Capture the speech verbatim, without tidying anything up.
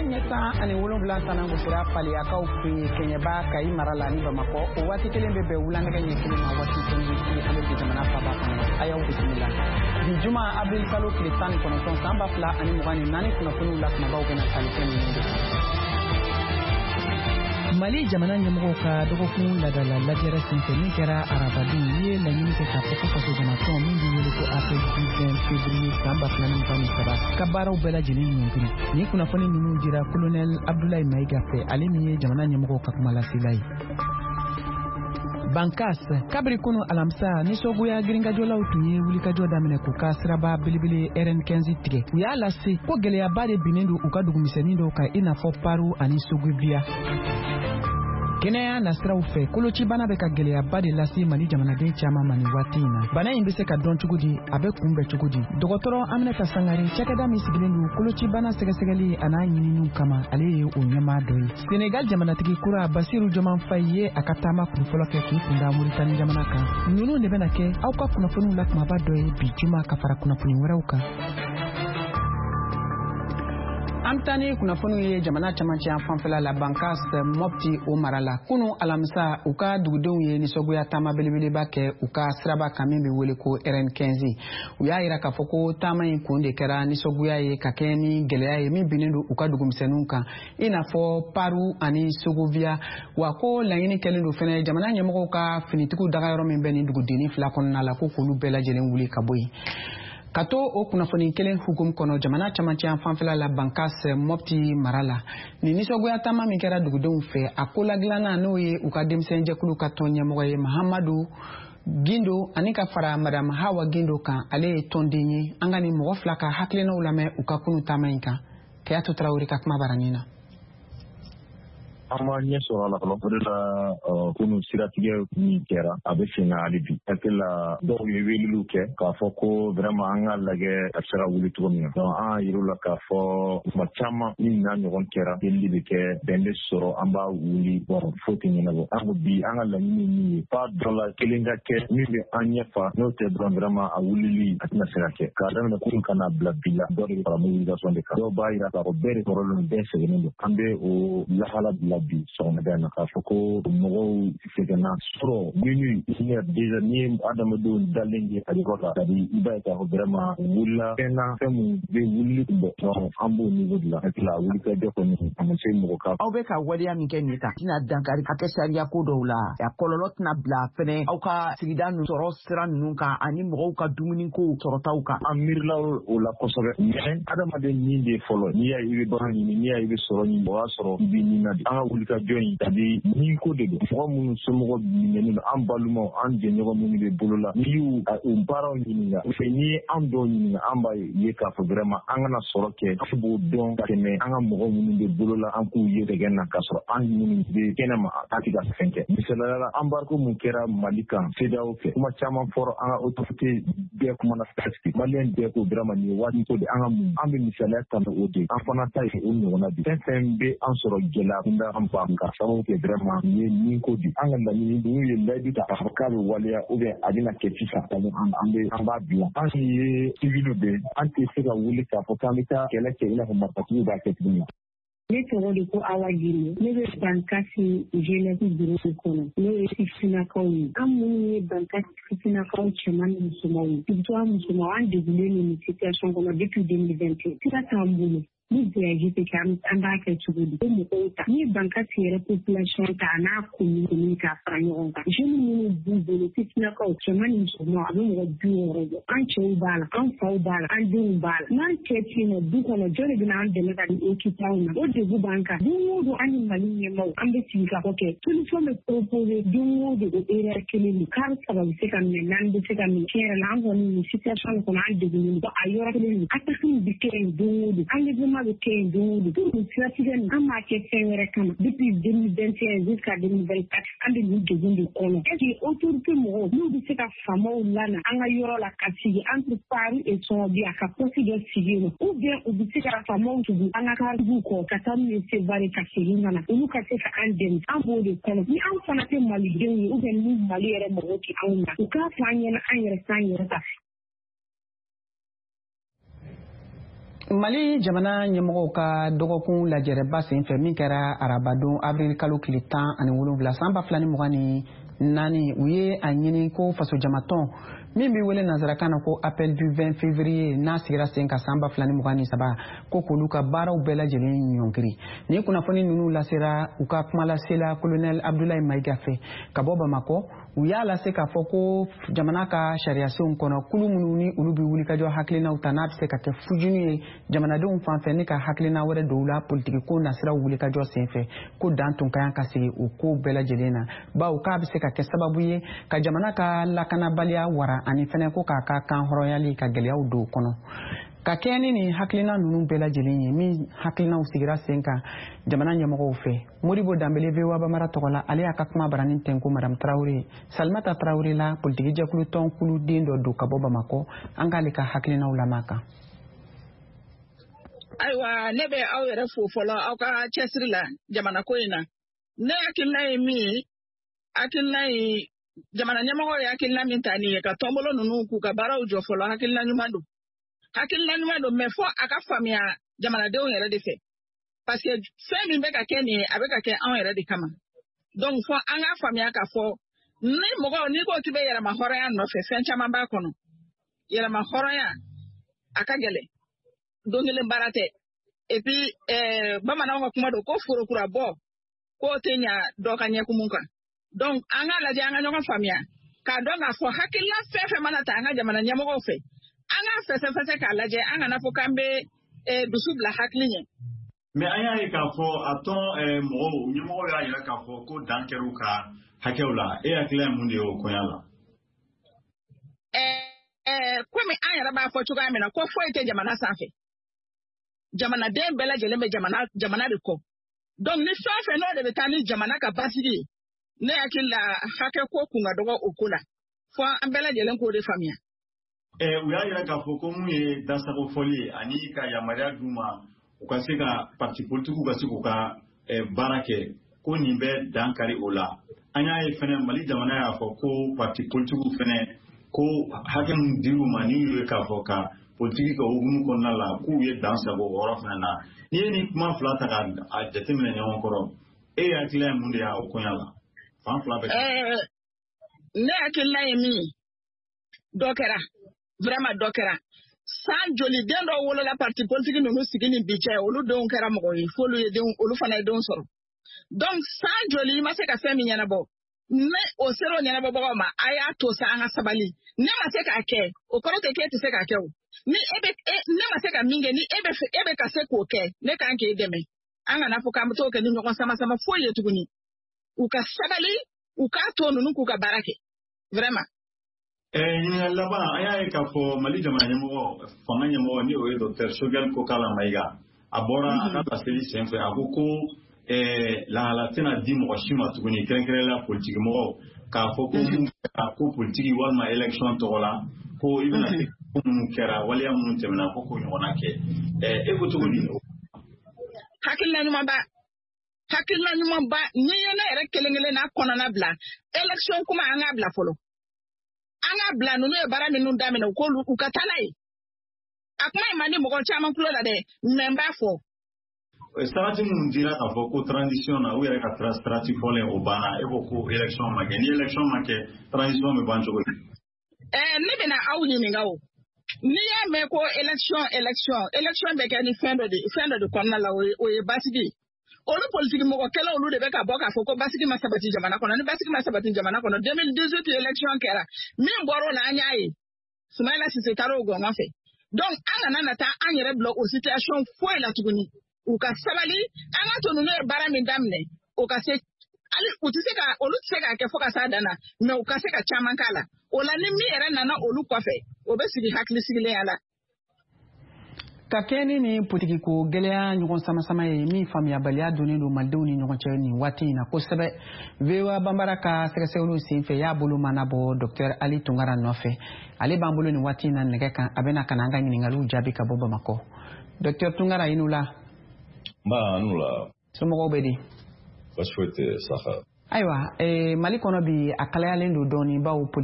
Nɛgɛ ɲɛ tan ani wolonwula tana gosira Faleyakaw fɛ yen Kɛɲɛba, Kayi mara la ni Bamakɔ. O waati kelen bɛ bɛn wula nɛgɛ ɲɛ kelen ma Washington D C, ale bi jamana faaba kɔnɔ. A y'aw bisimila bi juma avril kalo tile tan ni kɔnɔntɔn san ba fila ani mugan ni naani. Kunnafoniw la kumabaw bɛna tali kɛ ninnu de kan. Mali jamana ɲɛmɔgɔw ka dɔgɔkun ladala lajɛrɛ senfɛ min kɛra arabadon, u ye laɲini kɛ k'a fɔ ko fasojamatɔn min bɛ wele ko Appel du vingt février san ba fila ni mugan ni saba ka baaraw bɛɛ lajɛlen ɲɔngiri. Nin kunnafoni ninnu dira Kolonɛl Abdulayi Mayiga fɛ, ale min ye jamana ɲɛmɔgɔw ka kumalasela ye. Bankas, kabiri kunu alamisa, nisɔngoya girinkajɔlaw tun ye wulikajɔ daminɛ k'u ka siraba belebele R N quinze tigɛ. U y'a lase ko gwɛlɛyaba de binnen don u ka dugumisɛnnin dɔw kan, i n'a fɔ Paru ani Sogobiya. Kɛnɛya nasiraw fɛ, kolocibana bɛ ka gwɛlɛyaba de lase Mali jamanaden caaman ma nin waati in na. Bana in be se ka dɔn cogo di? A bɛ kunbɛn cogo di? Dɔgɔtɔrɔ Aminata Sangare, cakɛda min sigilen don kolocibana sɛgɛsɛgɛli a n'a ɲininiw kama, ale ye o ɲɛmaa dɔ ye. Senegal jamanatigi kura Basiru Joman Fayi ye a ka taama kunfɔlɔ kɛ k'i kunda Moritani jamana kan. Ninnu de bɛna kɛ aw ka kunnafoniw la kumaba dɔ ye bi juma, ka fara kunnafoni wɛrɛw kan. An bɛ taa ni kunnafoniw ye jamana camancɛ fanfɛla la, Bankas, Mɔpti o mara la. Kunu alamisa, u ka dugudenw ye nisɔngoya taama belebeleba kɛ u ka siraba kan min bɛ wele ko R N quinze. U y'a yira k'a fɔ ko taama in kun de kɛra nisɔngoya ye ka kɛ ni gɛlɛya ye min binnen don u ka dugumisɛnninw kan, i n'a fɔ Paru ani Sogovia. Wa ko laɲini kɛlen don fɛnɛ jamana ɲɛmɔgɔw ka finitigiw dagayɔrɔ min bɛ nin dugudenni fila kɔnɔna la, ko k'olu bɛɛ lajɛlen wuli ka bɔ yen. Ka to o kunnafoni kelen hukumu kɔnɔ, jamana camancɛ fanfɛla la, Bankas, Mɔpti mara la, nin nisɔngoya taama min kɛra dugudenw fɛ, a ko ladilanna n'o ye u ka denmisɛnjɛkulu ka tɔn ɲɛmɔgɔ ye Mahamadu Gindo, ani ka fara Madame Hawa Gindo kan, ale ye tɔnden ye. An ka nin mɔgɔ fila ka hakilinaw lamɛn u ka kunu taama in kan. Kayatu Tarawele ka kuma baranin na. An ma ɲɛ sɔrɔ a la fɔlɔ. O de la, kunu siratigɛ min kɛra, a bɛ sen na hali bi. Hakili la, dɔw ye weleliw kɛ k'a fɔ ko vraiment an ka lajɛ a bɛ se ka wuli cogo min na. Donc an y'a yir'u la k'a fɔ tuma caman ni n'a ɲɔgɔn kɛra, delili bɛ kɛ, bɛn bɛ sɔrɔ, an b'a wuli. Bon, foyi tɛ ɲɛnabɔ. An ko bi an ka laɲini ye min ye, f'a dɔ la kelen ka kɛ min bɛ an ɲɛ fa. N'o tɛ dɔrɔn, vraiment a wulili a tɛna se ka kɛ. K'a daminɛ kunun ka n'a bila bi la, dɔ de bɛ fara mobilisation de kan. Dɔw b'a yira k'a fɔ bɛɛ de tɔɔrɔlen don, bɛɛ sɛgɛnnen don. An bɛ o lahala bila bi sɔgɔmada in na k'a fɔ ko mɔgɔw sɛgɛnna sɔrɔ minuit, une heure déjà. N'i ye adamadenw dalen ye a yɔrɔ la, c'est à dire i b'a ye k'a fɔ vraiment u wulila fɛn na, fɛn mun bɛ wulili kun bɔ. Donc an b'o niveau de la. Hakili la, wulikajɔ kɔni a ma se mɔgɔ ka. Aw bɛ ka waleya min kɛ nin ta tɛna dankari hakɛ sariya ko dɔw la? A kɔlɔlɔ tɛna bila fɛnɛ aw ka sigida ninnu sɔrɔ sira ninnu kan ani mɔgɔw ka dumuniko sɔrɔtaw kan? An miirila o la kosɛbɛ, mais adamaden nin de fɔlɔ. N'i y'a ye i bɛ baara ɲini, n'i y'a ye i bɛ sɔrɔ ɲini, o y'a sɔrɔ i bɛ nin na de. An ka wulikajɔ in, c'est à dire nin ko de don. Mɔgɔ minnu somɔgɔw minɛnen don, an balimaw, an jɛɲɔgɔn minnu bɛ bolo la, n'i y'u u baaraw ɲininka, n'i ye an dɔw ɲininka, an b'a ye k'a fɔ vraiment an kana sɔrɔ kɛ, an b'o dɔn ka tɛmɛ an ka mɔgɔ minnu bɛ bolo la, an k'u ye dɛgɛ na, k'a sɔrɔ an minnu bɛ kɛnɛma, an tɛ ka fɛn kɛ. Misaliyala la, embargo mun kɛra Mali kan CEDEAO fɛ, kuma caman fɔra, an ka autorité bɛɛ kumana, presque maliyɛn bɛɛ ko vraiment nin ye waati ko de an ka mun. An bɛ misaliya ta o de, an fana ta ye o ɲɔgɔnna de. Fɛn fɛn bɛ an sɔrɔ gɛlɛya kunda, an ban ka sababu kɛ vraiment nin ye nin ko de. An ka laɲini, n'u ye layidu ta k'a fɔ k'a bɛ waleya ou bien a bɛna kɛ sisan, an bɛ an b'a bila. An ye civil de, an tɛ se ka wuli k'a fɔ k'an bɛ taa kɛlɛ kɛ i n'a fɔ marifatigiw b'a kɛ cogo min na. Ne tɔgɔ de ko Awa Gine. Ne bɛ Bankasi jeunesse bureau kɔnɔ, n'o ye sifinnakaw ye. An minnu ye Bankasi sifinnakaw cɛman ni musomanw ye, surtout an musomanw, an degunnen don nin situation kɔnɔ depuis deux mille vingt et un. Sira t'an bolo ni voyage tɛ kɛ, an b'a kɛ cogo di? O mɔgɔw ta, n'i ye Bankasi yɛrɛ population ta a n'a commune commune k'a fara ɲɔgɔn kan, jeunes minnu b'u bolo, sifinnakaw cɛman ni musomanw, a bɛ mɔgɔ bi wɔɔrɔ bɔ. An cɛw b'a la, an faw b'a la, an denw b'a la. N'an cɛ tɛ yen nɔ du kɔnɔ, jɔn de bɛna an dɛmɛ ka nin occuper anw na? O degun b'an kan. Don o don, an ni Mali ɲɛmaaw, an bɛ sigi ka fɔ kɛ, solution bɛ proposer don o don, o erreur kelen don. Kari saba bɛ se ka minɛ, naani bɛ se ka minɛ. Tiɲɛ yɛrɛ la, an kɔni nin situation kɔnɔ, an degunnen don. A yɔrɔ kelen don, attaque bɛ kɛ yen don o don, enlèvement bɛ kɛ yen don o don. Pour nin siratigɛ nin, an b'a kɛ fɛn wɛrɛ kama. Depuis deux mille vingt et un jusqu'à deux mille vingt-quatre, an bɛ nin degun de kɔnɔ. Est ce que autorité mɔgɔw, n'u bɛ se ka faamaw lana an ka yɔrɔ la ka sigi entre Paris et Sɔnɔbiya ka poste dɔ sigi yen nɔ, ou bien u bɛ se ka faamaw tugu an ka karibuw kɔ ka taa n'u ye Sevare ka segin ka na, olu ka se ka an dɛmɛ? An b'o de kɔnɔ. Ni an fana tɛ malidenw ye, ou bien ni Mali yɛrɛ mɔgɔw tɛ anw na, u k'a fɔ an ɲɛna, an yɛrɛ k'an yɛrɛ ta. Mali jamana ɲɛmɔgɔw ka dɔgɔkun lajɛrɛba senfɛ min kɛra arabadon avril kalo tile tan ani wolonwula san ba fila ni mugan ni naani, u ye a ɲini ko fasojamatɔn min bɛ wele nanzarakan na ko Appel du vingt février, n'a sigira sen kan san ba fila ni mugan ni saba, ko k'olu ka baaraw bɛɛ lajɛlen ɲɔngiri. Nin kunnafoni ninnu lasera u ka kumalasela Colonel Abdoulaye Maïga fɛ ka bɔ Bamakɔ. U y'a lase k'a fɔ ko jamana ka sariyasenw kɔnɔ, kulu minnu ni olu bɛ wulikajɔ hakilinaw ta, n'a bɛ se ka kɛ fujunu ye jamanadenw fan fɛ ni ka hakilina wɛrɛ don u la politikiko nasiraw wulikajɔ senfɛ, ko dan tun ka kan ka sigi o ko bɛɛ lajɛlen na, bawo k'a bɛ se ka kɛ sababu ye ka jamana ka lakanabaliya wara, ani fɛnɛ ko k'a ka kan hɔrɔnyali ka gɛlɛyaw don o kɔnɔ. Ka kɛɲɛ ni nin hakilina ninnu bɛɛ lajɛlen ye min hakilinaw sigira sen kan jamana ɲɛmɔgɔw fɛ, Modibo Danbele, V O A Bambara tɔgɔ la, ale y'a ka kuma baranin tɛnku Madame Tarawele Salimata Tarawele la, politiki jɛkulu tɔn kuluden dɔ don ka bɔ Bamakɔ. An k'ale ka hakilinaw lamɛn kan. Ayiwa, ne bɛ aw yɛrɛ fo fɔlɔ aw ka cɛsiri la jamana ko in na. Ne hakilina ye min ye, hakilina ye, jamana ɲɛmɔgɔ ye hakilina min ta nin ye ka tɔnbolo ninnu k'u ka baaraw jɔ fɔlɔ, hakilina ɲuman don, hakilina ɲuman don, mɛ fɔ a ka faamuya jamanadenw yɛrɛ de fɛ, parce que fɛn min bɛ ka kɛ nin ye, a bɛ ka kɛ anw yɛrɛ de kama. Donc fɔ an k'a faamuya k'a fɔ ni mɔgɔ n'i ko k'i bɛ yɛrɛma hɔrɔnya nɔfɛ, fɛn caman b'a kɔnɔ. Yɛrɛma hɔrɔnya a ka gɛlɛn, don kelen baara tɛ. Et puis ɛɛ bamananw ka kuma don ko forokura bɔ k'o tɛ ɲa dɔ ka ɲɛkumun kan. Donc an k'a lajɛ, an ka ɲɔgɔn faamuya k'a dɔn k'a fɔ hakilina fɛn fɛn mana ta an ka jamana ɲɛmɔgɔw fɛ, an k'a fɛsɛfɛsɛ k'a lajɛ, an kana fɔ k'an bɛ dusu bila hakili ɲɛ. Mɛ an y'a ye k'a fɔ a tɔn mɔgɔw ɲɛmɔgɔw y'a jira k'a fɔ ko dan kɛra u ka hakɛw la. E hakilina ye mun de ye o koɲa la? Ɛɛ komi an yɛrɛ b'a fɔ cogoya min na ko foyi tɛ jamana sanfɛ, jamanaden bɛɛ lajɛlen bɛ jamana jamana de kɔ. Donc ni fɛn fɛn n'o de bɛ taa ni jamana ka basigi ye, ne hakili la hakɛ ko kun ka dɔgɔ o ko la, fo an bɛɛ lajɛlen k'o de faamuya. U y'a jira k'a fɔ ko mun ye dasago fɔli ye ani ka yamaruya d'u ma u ka se ka parti politikiw ka se k'u ka baara kɛ, ko nin bɛ dan kari o la. An y'a ye fɛnɛ, Mali jamana y'a fɔ ko parti politikiw fɛnɛ, ko hakɛ min dir'u ma ni y'u ye k'a fɔ ka politiki kɛ hukumu kɔnɔna la, k'u ye dan sago o yɔrɔ fɛnɛ na. N'i ye nin kuma fila ta k'a jateminɛ ɲɔgɔn kɔrɔ, e hakilina ye mun de ye o koɲa la, fan fila bɛɛ? Ne hakilina ye min ye, dɔ kɛra, vraiment dɔ kɛra. San joli den dɔw wolola parti politique ninnu sigi ni bi cɛ, olu denw kɛra mɔgɔ ye, f'olu ye denw, olu fana ye denw sɔrɔ. Donc san joli i ma se ka fɛn min ɲɛnabɔ, ne o sera o ɲɛnabɔbagaw ma, a y'a to sa, an ka sabali. Ne ma se k'a kɛ, o kɔrɔ tɛ k'e tɛ se k'a kɛ. O ni e bɛ e, ne ma se ka min kɛ, ni e bɛ fɛ, e bɛ ka se k'o kɛ, ne kan k'e dɛmɛ. An kana fɔ k'an bɛ t'o kɛ ni ɲɔgɔn sama sama foyi ye tuguni. U ka sabali, u k'a to ninnu k'u ka baara kɛ, vraiment. Ɲininkali laban, an y'a ye k'a fɔ Mali jamana ɲɛmɔgɔ, fanga ɲɛmɔgɔ, ni o ye Docteur Choguel Kokala Maïga, a bɔra a ka laseli senfɛ, a ko ko lahala tɛna di mɔgɔ si ma tuguni, kɛrɛnkɛrɛnnenya la politiki mɔgɔw, k'a fɔ ko mun kɛra ko politiki walima élection tɔgɔ la, ko i bɛna se ko minnu kɛra, waleya minnu tɛmɛna, ko k'o ɲɔgɔnna kɛ. E ko cogo di? Hakilina ɲumanba, hakilina ɲumanba. N'i ye ne yɛrɛ kelen kelen n'a kɔnɔna bila, élection kuma, an k'a bila fɔlɔ, an k'a bila. Ninnu ye baara minnu daminɛ, u k'olu u ka taa n'a ye. A kuma in man di mɔgɔ caman tulo la dɛ, mɛ n b'a fɔ. Sarati minnu dira k'a fɔ ko transition na, u yɛrɛ ka sarati fɔlen o banna. E ko ko élection ma kɛ, ni élection ma kɛ, transition bɛ ban cogo di? Ɛɛ ne bɛna aw ɲininka o. N'i y'a mɛn ko élection, élection, élection bɛ kɛ ni fɛn dɔ de fɛn dɔ de kɔnɔna la, o ye o ye basigi ye. Olu politiki mɔgɔ kɛlɛ, olu de bɛ ka bɔ k'a fɔ ko basigi ma sabati jamana kɔnɔ. Ni basigi ma sabati jamana kɔnɔ, deux mille dix-huit élection kɛra, min bɔra o la, an y'a ye, Sumayila Sise taara o gɔngɔn fɛ. Donc an kana na taa an yɛrɛ bila o situation foyi la tuguni. U ka sabali, an ka to ninnu ye baara min daminɛ, o ka se hali u tɛ se ka, olu tɛ se k'a kɛ fo ka s'a dan na, mɛ u ka se ka caman k'a la. O la ni min yɛrɛ nana olu kɔfɛ, o bɛ sigi hakili sigilenya la. Ka kɛɲɛ ni nin politikiko gɛlɛya ɲɔgɔn sama-sama ye min faamuyabaliya donnen don malidenw ni ɲɔgɔn cɛ nin waati in na kosɛbɛ, V O A Banbara ka sɛgɛsɛgɛliw senfɛ y'a bolo mana bɔ Docteur Ali Tunkara nɔfɛ. Ale b'an bolo nin waati in na nɛgɛ kan, a bɛna ka na an ka ɲiningaliw jaabi ka bɔ Bamakɔ. Docteur Tunkara, i ni wula. Nba, n wula. Somɔgɔw bɛ di? Baasi foyi tɛ, Saha. Ayiwa, eh, Mali kɔnɔ bi, a kalayalen don dɔɔni bawo